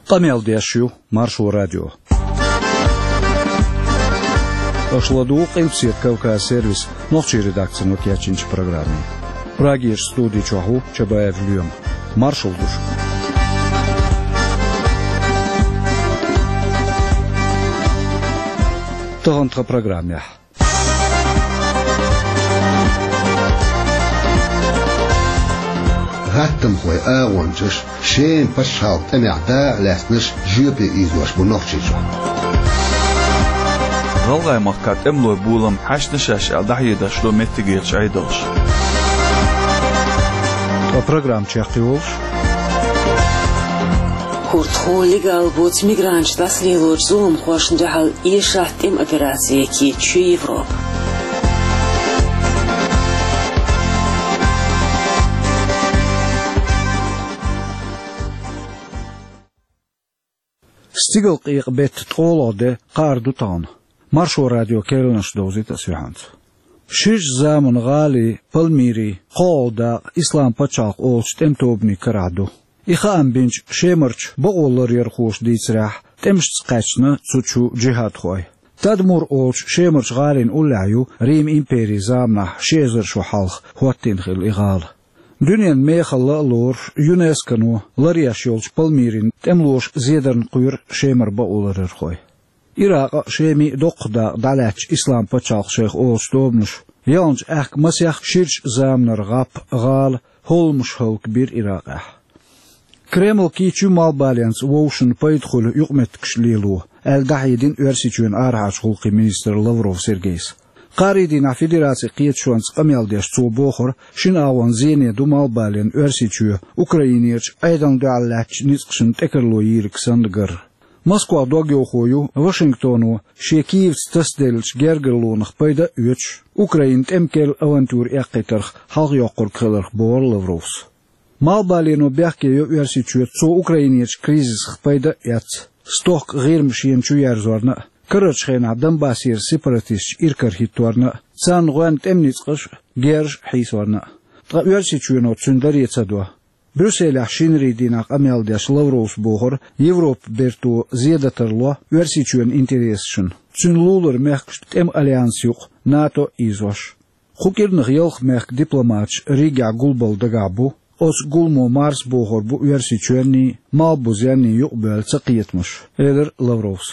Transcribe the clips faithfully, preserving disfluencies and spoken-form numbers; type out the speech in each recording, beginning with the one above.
Къамел деш ю Маршо радио. Аша ладугӀу Къилбаседа Кавказ сервисан нохчийн редакцино кечйинчу программе. Прагерчу студи чохь ву Чабаев Лоьма. Маршалла ду шуьга. Тахана тхан программехь. ГӀаттамхойн агӀончаш Шеман пачхьалкхан тӀамехь дакъа лаьцнарш жоьпе ийзош бу Нохчийчохь. ГӀалгӀайн махкахь тӀемалойн болам хьаьшна шаьш аьлла дӀахьедеш ду меттигерчу Ӏедалша. Ткъа программа чекхйолуш. Курдахо легал боцу мигранташ дӀасалелочу зуламхошна дуьхьал эшахь тӀеман операци кечйо Европа. Стигалкъекъа беттан ткъолгӀа де кхаар ду тахана. Маршо радион керланаш довзуьйту аса юьхьанца. Ширачу заманан гӀалин, Пальмирин, кхоалгӀа дакъа Исламан пачхьалкх олучу тӀеман тобанийн карахь ду. И хаам бинчу Шемарчу бакъоларъярхоша дийцарехь, тӀемашца кхаьчна цу чу джихӀадхой. Тадмур олучу Шемарчу гӀалина уллехь ю Риман империн заманахь ши эзар шо хьалха хӀоттийна хилла и гӀала. Дуьненан мехалла а лоруш, ЮНЕСКОно ларъеш йолчу Пальмирин тӀемалоша зедарна кхоьру Шемара бакъоларъярхой. Иракъан а, Шемин а доккха дакъа дӀалаьцначу Исламан пачхьалкх шайх олучу тобанаша яханчу аьхка масех ширачу заманара гӀап а, гӀала а, хӀолламаш а хӀаллакбира Иракъехь. Кремль кийча ю малхбаленца вовшашна пайда хуьлу юкъаметтигаш лело, аьлла дӀахьедина Оьрсийчоьнан арахьарчу гӀуллакхийн министр Лавров Сергейс. Кхаарин дийнахь Федерацин кхеташонца къамел деш цо бохура, шина агӀонна зене ду малхбален Оьрсийчоь Украинерчу Ӏедална дуьхьал лаьттачу ницкъашна тӀекарло йийриг санна гар. Москвах догйовхо ю Вашингтоно шен Киевца тасаделлачу гергарлонах пайда а оьцуш, Украинан тӀеман керла авантюра эккхийтарх хьалхайоккхург хиларх, бохура Лавровс. Малхбалено бехке йо Оьрсийчоь цо Украинерчу кризисах пайда а эцна, стохка ГӀирма шена чу ерзорна а, карарчу хенахь Донбассера сепаратисташ иракарахӀитторна а, царна гӀоьнна тӀеман ницкъаш а, герзаш а хьийсорна а. Ткъа Оьрсийчоьно цуьнан даре ца до. Брюсселехь шинарин дийнахь къамел деш Лавровс бохура, Европан берто зедар тарло Оьрсийчоьнан интересашна, цуьнан лулара мехкашна тӀеман альянс юкъа, НАТО а ийзош. Кху кӀирнах ялх мехкан дипломаташ Ригехь гулбала дагахь бу, оцу гуламо марзбохур бу Оьрсийчоьнний, Малхбузенний юкъабоьлла цакхетамаш, элира Лавровс.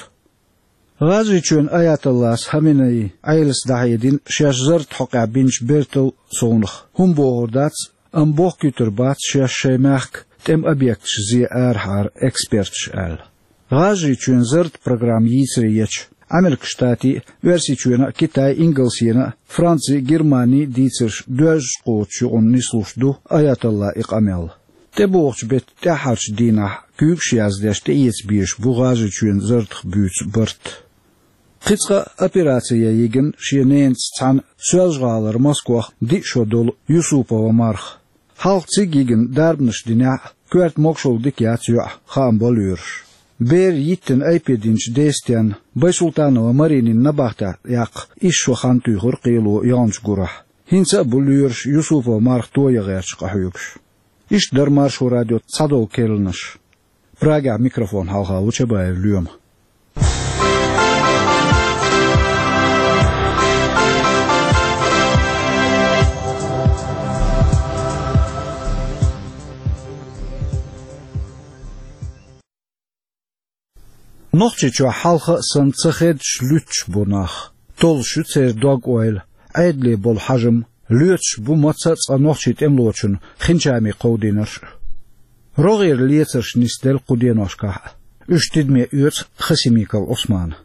ГӀажарийчоьнан аятоллас Хаменеи Ӏелас дӀахьедина шаьш зарратан хьокъехь бинчу бертал совнаха, хӀума бохур дац, амма бохкуьйтур бац шаьш шайн мехкан тӀеман объекташ зе арахьара эксперташа аьлла. ГӀажарийчоьнан зарратан программа йийцаре ечу Ӏамеркан Штатийн а, Оьрсийчоьнан а, Китайн а, Ингалсенан а, Францин а, Германин а дийцарш доьзткъа кхочуш юкъана нислуш ду аятоллан и къамел. ТӀебогӀучу беттан тӀаьххьарчу дийнахь куьйгаш яздеш тӀеэца безаш бу ГӀажарийчоьнан зарратах буьйцу барт. Кхин цкъа а операци ян йигина шен ненаца цхьаьна Соьлжа-ГӀалара Москвах диъ шо долу Юсупова Марха. Хьалха цига йигина дарбанаш динехь а, коьрта могушалла дика яц йоӀ, хаам бо лоьраша. Бер йиттина айпе динчу дестенна Байсултанова Маринин набахтехь яккха исс шо хан туьйхира кхело яханчу гурахь. ХӀинца а бу лоьраша Юсупова Марха тоян гӀерташ къахьоьгуш. Иштта дара Маршо радион цхьадолу керланаш. Прагехь микрофон хьалха ву Чабаев Лоьма. Нохчийчохь хьалха а санна ца хедаш луьттуш бу нах. Толлуш ю церан дог-ойла, Ӏедале болу хьажам, лоьцуш бу маца а цкъа нохчийн тӀемалочун хинчами кховдийнарш а. РогӀера лецарш нисделла кху деношкахь а. Уьш тидаме оьцу Хасимиков Ӏусмана.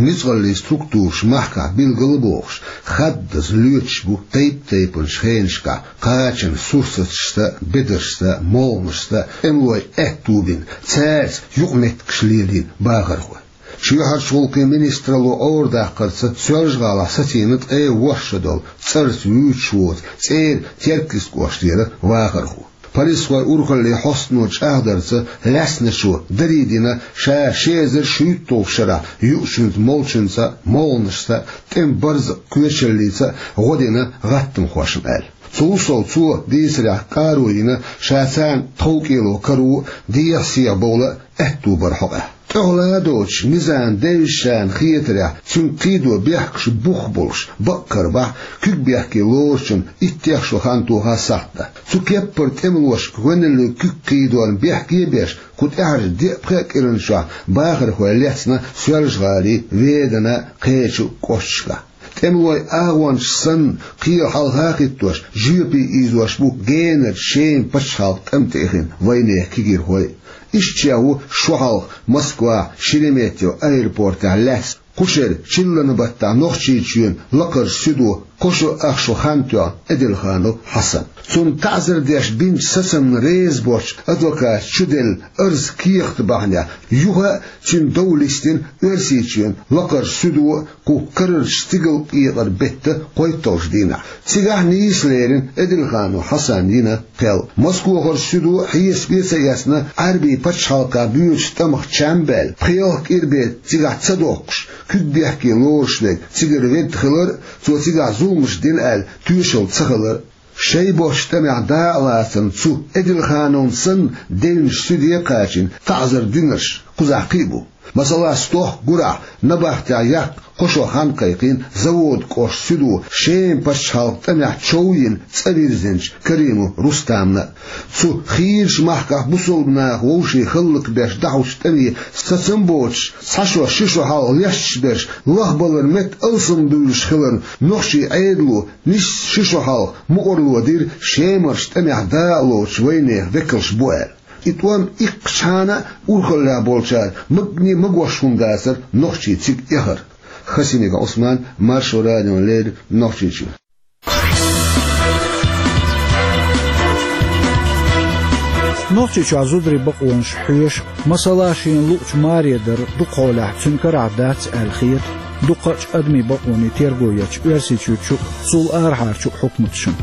Ницкъаллийн структураш махкахь билгал а бохуш, хаддаза лоьцуш бу тайп-тайпанчу хенашкахь кхачанан сурсаташца а, бедаршца а, молханашца а, тӀемалойн аьтту бина, цаьрца юкъаметтигаш лелийна бахархой. Чоьхьарчу гӀуллакхийн министралло Ӏорадаккхарца Соьлжа-ГӀалахь сацийна ткъе ворхӀ шо долу цӀарца вуьйцуш воцу цӀера Теркйист кӀоштара вахархо. Полисхойн урхаллин хьостано чӀагӀдарца, лаьцначо даре дина ша ши эзар шуьйтталгӀачу шарахь юучуьнца, молчунца а, молханашца а, тӀеман барзакъ коьчаллица а гӀо дина гӀаттамхошна аьлла. Цул сов цо дийцарехь къаро йина ша царна тховкӀело каро, дехьа-сехьа бовла аьтто бар хьокъехь. ТӀехула доцуш низам девзачарна хетарехь, цуьнга кхийдо бехкаш бух болуш бакъ карабахь, куьг бехке лоручун иттех шо хан тоха сахьт дан. Цу кеппара тӀемалошка гӀоьналлин куьг кхийдорна бехке а беш, кху тӀаьхьарчу деа-пхеа кӀиран чохь бахархой лецна Соьлжа-ГӀалин, Веданан, кхечу кӀошташкахь. ТӀемалойн агӀончаш санна, кхел хьалха а хӀиттош, жоьпе ийзош бу генарчу Шеман пачхьалкхан тӀамтеэхина вайнехан кегийрхой. Иштта чӀогӀа ву шо хьалха Москвахь Шереметьево аэропортехь лаьцна кху шеран чиллан баттахь Нохчийчоьнан лакхарчу суьдо кхо шо ах шо хан тоьхна Эдельханов Хьасан. Цунна таӀзар деш бинчу сацамна реза боцчу адвоката чу делла арз-кехат бахьанехь юха а цуьнан дов листина Оьрсийчоьнан лакхарчу суьдо кху карарчу стигалкъекъар беттан кхойтталгӀачу дийнахь. Цигахь нийса лерина Эдельханов Хьасанна йина кхел. Москвахарчу суьдо хьесапе а ца эцна, Ӏаьрбийн пачхьалкхехь боьдучу тӀамах чам а баьлла, пхи-ялх кӀира бен цигахь ца доккхуш, куьг бехке лоруш верг цигара ведда хилар а, цо цигахь зуламаш дина аьлла тоьшалла ца хилар а. Шайн боцчу тӀамехь дакъалацарна цу Эдельхановна санна девнаш суьде а кхачийна, таӀзар динарш кхузахь кхин а бу. Масала, стохка гурахь набахтехь яккха кхо шо хан кхайкхийна Заводкъоштан суьдо Шеман пачхьалкхан тӀамехь чов йина цӀа вирзинчу Каримов Рустамна а. Цу хийрачу махкахь бусалба наха вовшийн хӀаллакбеш дӀахьочу тӀаме сацам а боцуш, цхьа шо, ши шо хьалха лесташ берш лахбаларан метта алсамбуьйлуш хиларна, нохчийн Ӏедало нисса ши шо хьалха мукъарло дира Шемарчу тӀамехь дакъалоцучу вайнехан векалш бу аьлла. И тӀом иккхачхьана а урхаллехь болчара магане а магош хӀума дацара нохчий цига эхар. Хасимиков Ӏусман, Маршо радиона леррина, Нохчийчоь. Нохчийчохь зударийн бакъонаш хьоьшу, масала, шена луучу маре дар дукха хьолахь цуьнан карахь дац аьлла хета дукхачу адамийн бакъонийн терго ечу Оьрсийчуьрчу а, цул арахьарчу а хьукматашна.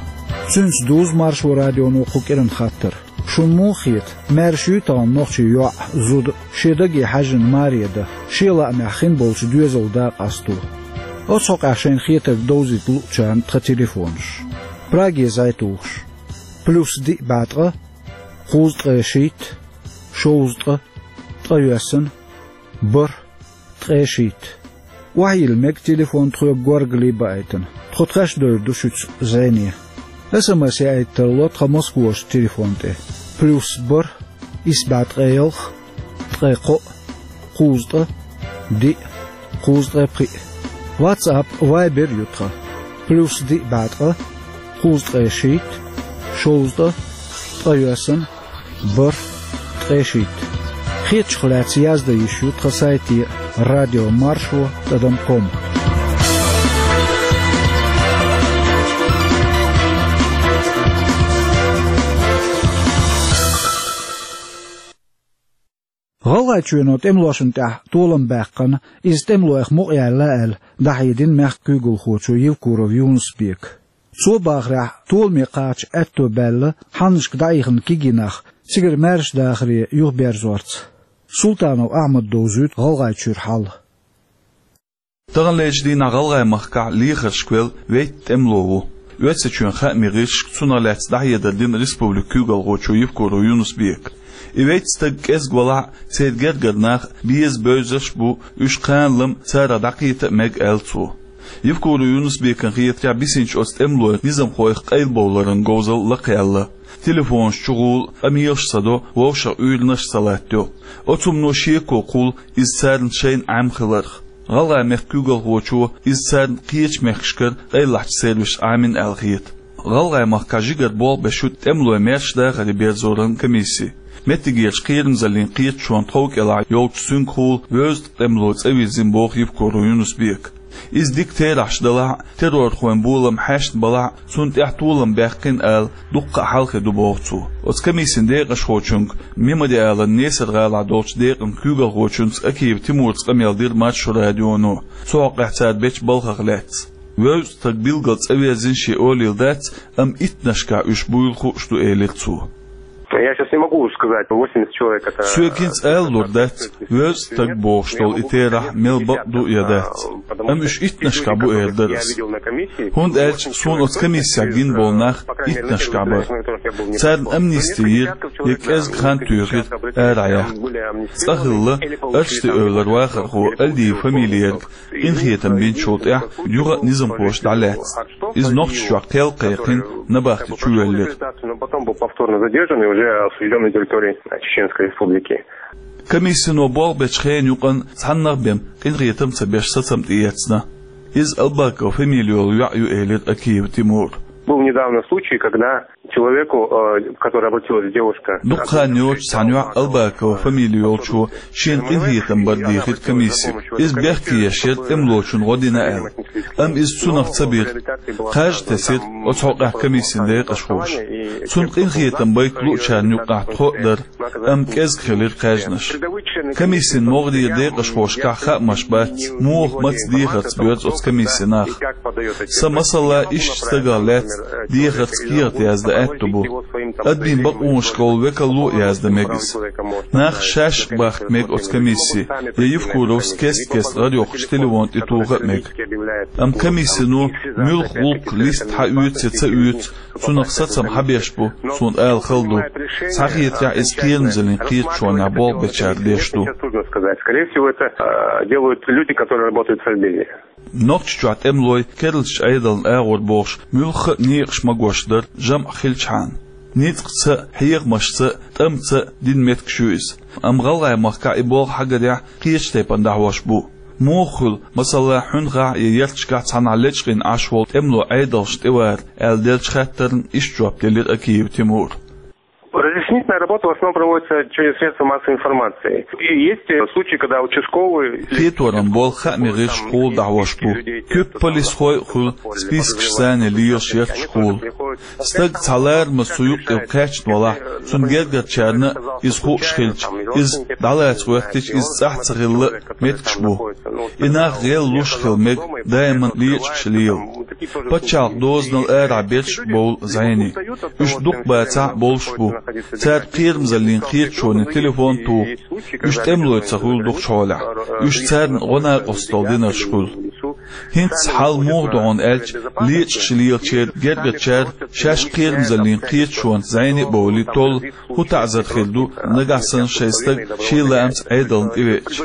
Цуьнца дузу Маршо радионо кху кӀиран хаттар. Шуна муха хета, маьрша юй тахана нохчийн йоӀ а, зуда а шен даге хьаьжжина маре дан, шен лаамехь хин болчу доьзална дакъасто? Оцу хьокъехь шайна хетарг довзийта луучарна тхан телефонаш. Праге зӀе тухуш: плюс диъ бӀе ткъа, кхузткъе шийтта, шовзткъа, ткъайоьсна, бархӀ, ткъе шийтта. Охьайилла мега телефон тхоьга горгали а баийтина. Тхо тхаьш довр ду шуьца зӀене. СМС яийта тарло тхан Москварчу телефон тӀе: плюс бархӀ, исс бӀе ткъе ялх, ткъе кхоъ, кхузткъа, диъ, кхузткъе пхиъ. WhatsApp, Viber ю тхан: плюс диъ бӀе ткъа, кхузткъе шийтта, шовзткъа, ткъайоьсна, бархӀ, ткъе шийтта. Хетачух лаьцна яздан йиш ю тхан сайте: радио маршо тӀадам ком. ГӀалгӀайчоьно тӀемалошна тӀехь толам баьккхина, иза тӀемалойх мукъаяьлла аьлла, дӀахьедина мехкан куьйгалхочо Евкуров Юнус-Бека. Цо бахарехь, толаме кхача аьтто баьлла хьаннашка дӀаихна кегий нах цигара маьрша дахаре юхаберзорца. Султанов Ахьмада довзуьйту ГӀалгӀайчуьра хьал. Таханлерчу дийнахь ГӀалгӀай-махкахь лехаршка велла вейтта тӀемало ву. Оьрсийчоьнан хаамийн гӀирсашка цунах лаьцна дӀахьедар дина республикан куьйгалхочо Евкуров Юнус-Бека. И вейтта стаг кӀезиг валахь а, церан гергара нах беза-бевзарш а бу, уьш кхана-лама царах дӀакхета а мега, аьлла цо. Евкуров Юнус-Бекана хетарехь, бисинчу оцу тӀемалойн низамхойх къайлабовларан говзалла лакхаелла. Телефонаш чу гӀула, къамелаш ца до, вовшах уьйранаш а ца латтайо. Оцу хӀумано шеко кхуллу иза царна шайна Ӏемхиларх. ГӀалгӀай-мехкан куьйгалхочо иза царна кхечу мехкашкара къайлахчу сервисаша Ӏамийна аьлла хета. ГӀалгӀай-махкахь жигара болх беш ю тӀемалой маьрша дахаре берзоран комисси. Меттигерчу кхерамзаллин кхеташонан тхов кӀелахь йолчу цуьнгахула вевза тӀемало цӀа вирзина, боху Евкуров Юнус-Бека. Иза дика терахьаш далахь а, террорхойн болам хьаьшна балахь а, цунна тӀехь толам баьккхина ала дуккха а хьал хир ду, боху цо. Оцу комиссин декъашхочуьнга, Мемориалан Несар-гӀалахь долчу декъан куьйгалхочуьнца Акиев Тимурца къамел дира Маршо радионо. Цу хьокъехь цара бечу балхах лаьцна. Вевза стаг билггал цӀа верзина шен олийла дац, амма иттаннашкахь уьш буйла хууш ду, элира цо. Я сейчас не могу сказать, восемьдесят человек это... Соьга хӀинца ала лур дац, вевза стаг бохуш долу и терахь мел бакъ ду я дац. Амма уьш иттанашкахь бу эр дара ас. ХӀунда аьлча суна оцу комиссехь гина болу нах иттанашкахь бара. Царна амнисти йира, я кӀезиг хан туьйхира арахьа яха. Цкъа хилла, Арчди-Эвлара вахархо Альдиев фамилиерг къинхетам бинчул тӀаьхьа юха а низамхоша дӀалаьцна. Иза Нохчийчохь кхел кхайкхина набахти чувоьллира. Но потом был повторно задержан и уже осуждён на территории Чеченской Республики. Комиссино болх бечу хенан юкъана цхьаннах а бен къинхетам ца беш сацам тӀеэцна. Иза Албакова фамили йолу йоӀ ю, элира Акиев Тимура. Был недавно случай, когда человеку, э, который обратилась девушка. Дукха хан йоцуш цхьана йоӀа Албакова фамили йолчо шена къинхетам бар дийхира комиссига. Иза бехке еш яра тӀемалочунна гӀо дина аьлла. Амма иза цунах ца бира. Кхаж а тесира оцу хьокъехь комиссин декъашхоша. Цунна къинхетам байта луучарна юккъехь тхо а дара, амма кӀезиг хилира кхаьжнаш. Комиссин могӀарера декъашхошкахь хаамаш бац, муха маца дехарца боьрзу оцу комиссин нах. Сан, масала, иштта стагах лаьцна дехарца кехат яздан аьтто бу. Адамийн бакъонашкахула векалло а яздан мега иза. Нах шаьш а бахка мега оцу комиссин, я Евкуровс кест-кеста гӀара йоккхучу телефон тӀе тоха а мега. Амма комиссино муьлхха гӀуллакх листа хьаоьцу я ца оьцу, цунах сацам хьан беш бу, суна ала хала ду. Схьахетарехь, иза кхерамзаллин кхеташонехь болх бечара беш ду. Сейчас трудно сказать. Скорее всего, это, э, делают люди, которые работают в Совбезе. Нохчийчохь тӀемалой керлачу Ӏедална агӀор бохуш, муьлхха а некъаш магош дара, жамӀ хилчхьана. Ницкъаца а, хьехамашца а, тӀамца а дина меттигаш ю иза. Амма ГӀалгӀайн махкахь и болх хьагарехь, кхечу тайпана дӀахьош бу. Муха хуьлу, масала, хьуьнхахь я ярташкахь цхьанхьа лечкъийна Ӏаш волу тӀемало Ӏедалшна тӀевара аьлла деллачу хаттарна иштта жоп делира Акиев Тимура. Разъяснительная работа в основном проводится через средства массовой информации. И есть, э, случаи, когда участковый... Кхеторан болх хаамийн гӀирсашкахула дӀахьош бу. Куьг полисхой а хуьлу, спискаш санна лелаш ярташкахула. Стаг цхьа ларамаза цу юккъе кхаьчна валахь, цуьнан гергарчарна а иза хууш хилча, иза дӀалаца гӀоьттича, иза цӀахь ца хилла а меттигаш бу. И нах гӀеллуш а хила мега, даиман лечкъаш лела. Пачхьалкхан дозанал арахь берш а бовлу зӀене. Уьш дукха бацахь а болуш бу. Цара кхерамзаллин кхеташонан телефон а туху. Уьш тӀемалой ца хуьлу дукхачу хьолехь. Уьш царна гӀо-накъосталла динарш хуьлу. ХӀинца хьал муха ду хьуна аьлча, лечкъаш лелачеран гергарчара шаьш кхерамзаллин кхеташонца зӀене а бовлий, толлу, хӀун таӀзар хир ду, нагахь санна шайн стаг шен лаамца Ӏедална тӀевеача.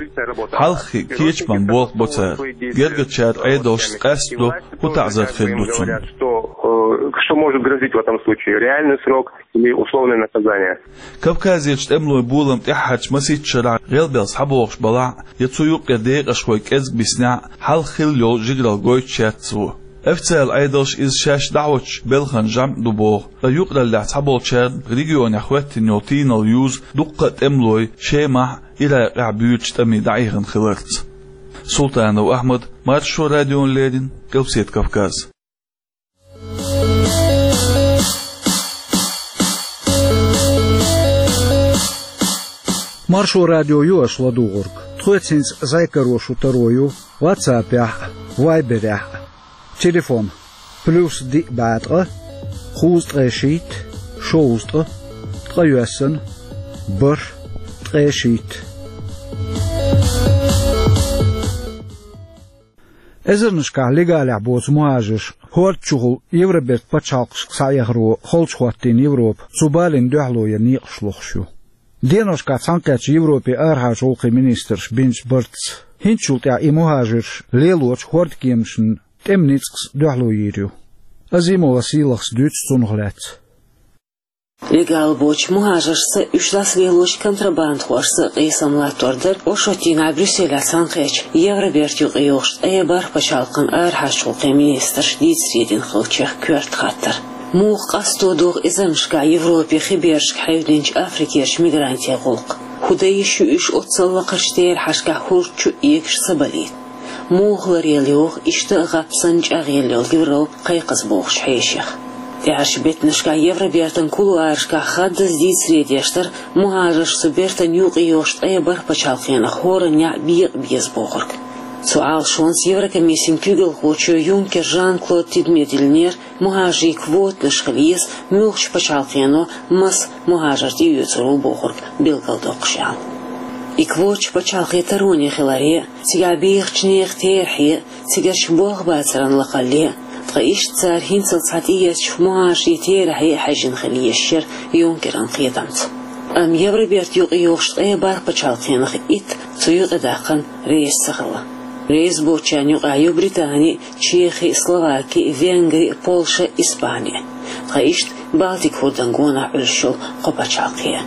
Хьалххе кечаман болх бо цара. Гергарчара Ӏедалшца къастадо, хӀун таӀзар хир ду цунна. Что, э, что может грозить в этом случае? Реальный срок или условное наказание? Кавказерчу тӀемалойн болам тӀаьххьарчу масийтта шарахь гӀелбелла схьабогӀуш балахь а, я цу юккъера декъашхой кӀезиг биснехь а, хьалха хилла йолу жигаралла гойтуш яц цо. Официалан Ӏедалша иза шаьш дӀахьочу белхан жамӀ ду боху, ткъа юкъараллехь цхьаболчарна регионехь хӀоьттина йолу тийналла юзу дуккха а тӀемалой Шемахь а, Иракъехь а буьйручу тӀаме дӀаихна хиларца. Султанов Ахьмад, Маршо радиона леррина, Къилбаседа Кавказ. Маршо радио ю аша ладугӀург. Тхоьца хӀинца зӀе каро шун таро ю WhatsApp-ехь а, Viber-ехь а. Телефон: плюс диъ бӀе ткъа, кхузткъе шийтта, шовзткъа, ткъайоьсна, бархӀ, ткъе шийтта. Эзарнашкахь легалехь боцу мухӀажарш хӀорда чухула Евробертан пачхьалкхашка схьаэхаро холчу хӀоттийна Европа цу балина дуьхьало ян некъаш лохуш ю. Деношкахь цхьаьнакхеттачу Европин арахьарчу гӀуллакхийн министрша бинчу бартаца, хӀинцачул тӀаьхьа и мухӀажарш лелочу хӀордкеманашна тӀеман ницкъаца дуьхьало йийр ю. Азимова Сийлахас дуьйцу цунах лаьцна. Легал боцчу мухӀажаршца, уьш дӀасалелочу контрабандахошца къийсам латтор дара оршотдийнахь Брюсселехь цхьаьнакхеттачу Евробертан юкъайогӀучу ткъе бархӀ пачхьалкхан арахьарчу гӀуллакхийн министрша дийцаре дина хиллачех коьрта хаттар. Муха къасто догӀу эзарнашкахь Европе хи берашка хьаьвдинчу Африкерчу мигрантийн гӀуллакх? ХӀун дан йиш ю уьш оццул лакхарчу терахьашкахь хӀорда чу а эгаш ца балийта? Муха ларъелла йогӀу иштта а гӀап санна чӀагӀъелла йолу Европа кхайкхаза бохучу хьешех? ТӀаьхьарчу беттанашкахь Евробертан кулуарашкахь хаддаза дийцаре деш дара мухӀажарш цу бертан юкъайогӀучу ткъе бархӀ пачхьалкхенах хӀораннехь бекъа беза бохург. Цу Ӏалашонца Еврокомиссин куьйгалхочо Юнкер Жан-Клода тидаме диллинера, мухӀажарийн квотанаш хила еза, муьлххачу пачхьалкхено маса мухӀажар тӀеоьцур ву бохург билгалдоккхуш аьлла. И квоташ пачхьалкхе тароне хиларе, цигахь бехачу нехан терахье, цигарчу болх бацаран лакхалле, ткъа иштта цара хӀинццалц цхьа тӀеэцначу мухӀажарийн терахье хьаьжжина хила езаш яра Юнкеран кхетамца. Амма Евробертан юкъайогӀуш ткъе бархӀ пачхьалкхенах итт цу юкъадаккхарна реза ца хилла. Реза боцчарна юкъахь ю Британи, Чехи, Словаки, Венгри, Польша, Испани. Ткъа иштта Балтик хӀордан гонах Ӏуьллуш йолу кхо пачхьалкхе.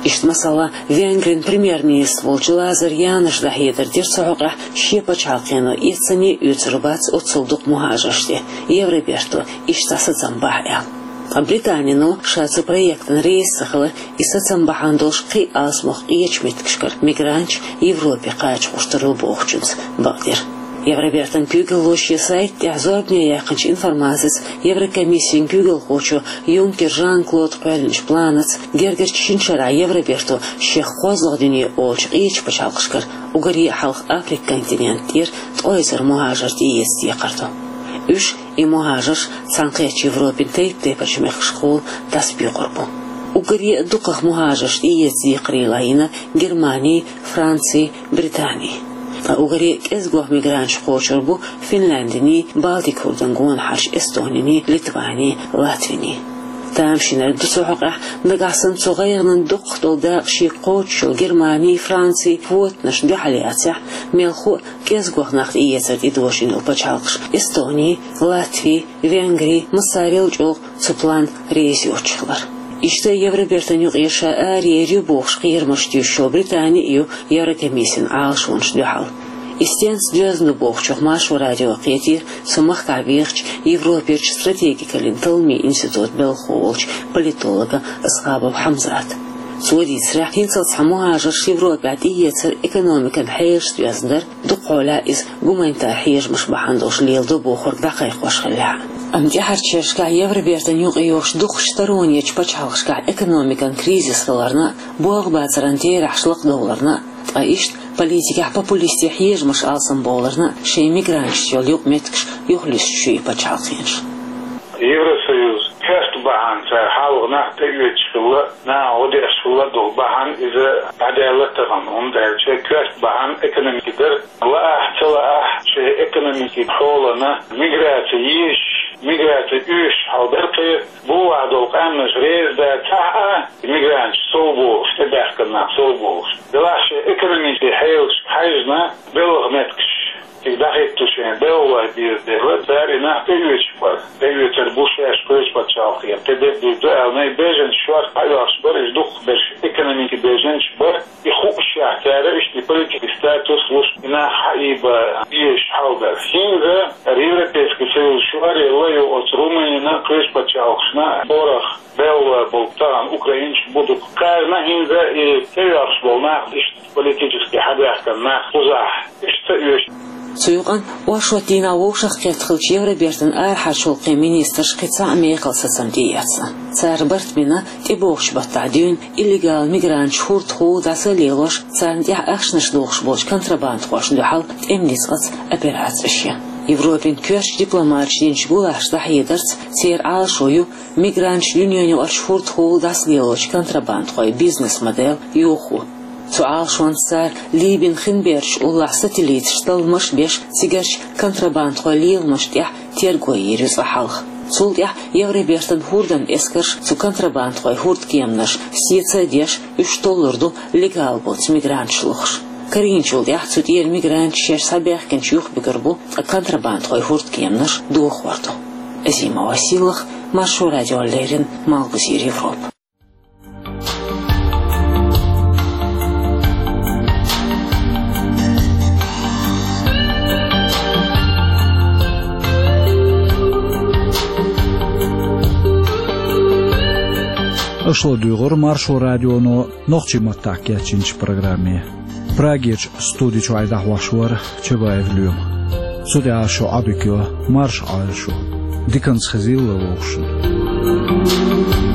Иштта, масала, Венгрин премьер-министр волчу Лазар Яноша дӀахьедар дира цу хьокъехь, шен пачхьалкхено эццане а оьцур бац оццул дукха мухӀажарш тӀе, Евроберто иштта сацам бахь аьлла. Ткъа Британино ша цу проектана реза ца хилар, и сацам бахьана долуш кхин а алсамох къечу меттигашкара мигранташ Европе кхача гӀертар ю бохучуьнца бакъдира. Евробертан куьйгалло шен сайта тӀехь зорбане яьккхинчу информацица, Еврокомиссин куьйгалхочо Юнкер Жан-Клода кхоьллинчу планаца гергарчу шина шарахь Евроберто шех кхозлагӀа дуьне олучу къечу пачхьалкхашкара, уггаре а хьалха Африкан континент тӀера, ткъе эзар мухӀажар тӀеэца декхар ду. Уьш, и мухӀажарш, цхьаьнакхеттачу Европин тайп-тайпанчу мехкашкахула дӀасабоькъур бу. Уггаре а дукхах мухӀажарш тӀеэца декхарийла йина Германи, Франци, Британи. Ткъа уггаре а кӀезигох мигранташ кхочур бу Финляндини, Балтик хӀордан гонахьарчу Эстонини, Литвани, Латвини. Тамашийнарг ду цу хьокъехь, нагахь санна цу гӀайгӀанан дукхах долу дакъа шега кхочуш йолу Германи, Франци квотанаш дуьхьал яцахь, мелхо а кӀезигох нах тӀеэцар тӀедожийна йолу пачхьалкхаш Эстони, Латви, Венгри массарел а чӀогӀа цу планна реза йоцуш хилар. Иштта Евробертан юкъера ша араер ю бохуш кхерамаш туьйсуш йолу Британи а ю Еврокомиссин Ӏалашонаш дуьхьал. И стенца доьзна ду бохучух Маршо радио кхетийра цу махкахь бехачу Европерчу стратегикаллин талламийн институтан белхахо волчу политолога Асхабов Хьамзата. Цо дийцарехь, хӀинцалц цхьа мухӀажарш Европехь тӀеэцар экономикан хьелашца доьзна дара, дукха хьолахь иза гуманитар хьежамаш бахьана долуш леладо бохург дӀакхайкхош хиллехь а. Амма тӀаьхьарчу шерашкахь Евробертан юкъайогӀуш дукхахчу таронечу пачхьалкхашкахь экономикан кризис хиларна а, болх бацаран терахьаш лакхадовларна а, ткъа иштта политикехь популистийн хьежамаш алсамбовларна а шайн мигранташца йолу юкъаметтигаш юхалуьстуш ю и пачхьалкхенаш. Евросоюз коьрта бахьана цара хьалха нах тӀеоьцуш хилла, наха гӀо деш хилла долу бахьана иза дӀадаьлла тахана, хӀунда аьлча коьрта бахьана экономика дара. Лаахь, ца лаахь, шайн экономикин хьолана миграци езаш, миграци оьшуш хьал дара кхеран, бухахь долу къаьмнаш реза дацахь а, мигранташ сов бохуш, тӀебаьхкина нах сов бохуш. Делахь шайн экономикин хьелашка хьаьжна, белхан меттигаш цига дӀахӀитта шайн белхалой беза дела, цара и нах тӀеоьцуш бара. ТӀеоьцур бу шаьш кхечу пачхьалкхера, тӀедерг дийр ду аьлла, и беженцаш шорта дӀаоьхуш бара, иза дукхахберш экономикин беженцаш бара. И хуушшехь цара иштта политический статус луш, и нах хьаийба безаш хьал дара. ХӀинца Европейский Союз шоръелла ю оцу Румынина, кхечу пачхьалкхашна, хӀорах белхалой болу тахана украинцаш бу дукха. Царна хӀинца и тӀеоьхуш болу нах иштта политически хьабаьхкина нах кхузахь иштта ца оьшу. Цу юкъана оршот дийнахь вовшахкхетта хиллачу Евробертан арахьарчу гӀуллакхийн министрша кхин цхьа а мехала сацам тӀеэцна. Цара барт бина тӀебогӀучу баттахь дуьйна иллегал мигранташ хӀордахула дӀаса а лелош, царна тӀехь ахчанаш дохуш болчу контрабандхошна дуьхьал тӀеман ницкъаца операцеш ян. Европин коьртачу дипломаташа динчу гулахьаша дӀахьедарца, церан Ӏалашо ю мигранташ дуьненаюкъарчу хӀордахула дӀасалелочу контрабандхойн бизнес-модель йохо. Цу Ӏалашонца цара Либин хин бердаш уллохь сателлиташ талламаш а беш, цигарчу контрабандхойн леламашна тӀехь терго йийр ю цкъа хьалха. Цул тӀаьхьа Евробертан хӀордан эскарш цу контрабандхойн хӀордкеманаш сеца а деш, уьш толлур ду легал боцу мигранташ лохуш. Карийначул тӀаьхьа цу тӀера мигранташ шаьш схьабаьхкинчу юхабуьгур бу, ткъа контрабандхойн хӀордкеманаш дохор ду. Азима Василах, Маршо радиона леррина, Малхбузера Европа. Аша ладуьйгӀура Маршо радионо нохчийн маттахь кечйинчу программе. Прагерчу студи чуьра дӀахьош вара Чабаев Лоьма. Цу тӀехь шун Ӏодика йо, марша Ӏойла шу. Диканца хезийла вовшашна.